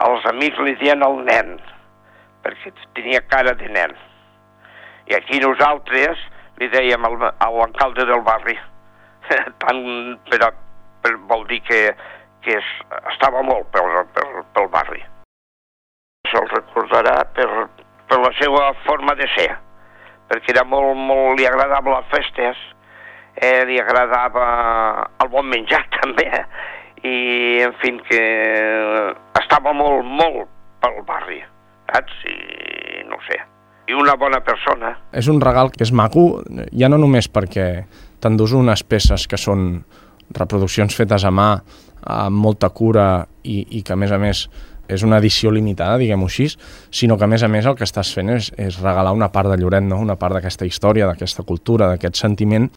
Els amics li deien el nen, perquè tenia cara de nen. I aquí nosaltres li dèiem a l'alcalde del barri. Però vol dir que estava molt pel barri. Se'l recordarà per la seva forma de ser, perquè era molt, li agradava les festes, li agradava el bon menjar també, i en fi, que estava molt pel barri, saps? I no sé, i una bona persona. És un regal que és maco, ja no només perquè t'endús unes peces que són reproduccions fetes a mà, amb molta cura i que a més és una edició limitada, diguem-ho així, sinó que a més el que estàs fent és regalar una part de Lloret, no? Una part d'aquesta història, d'aquesta cultura, d'aquest sentiment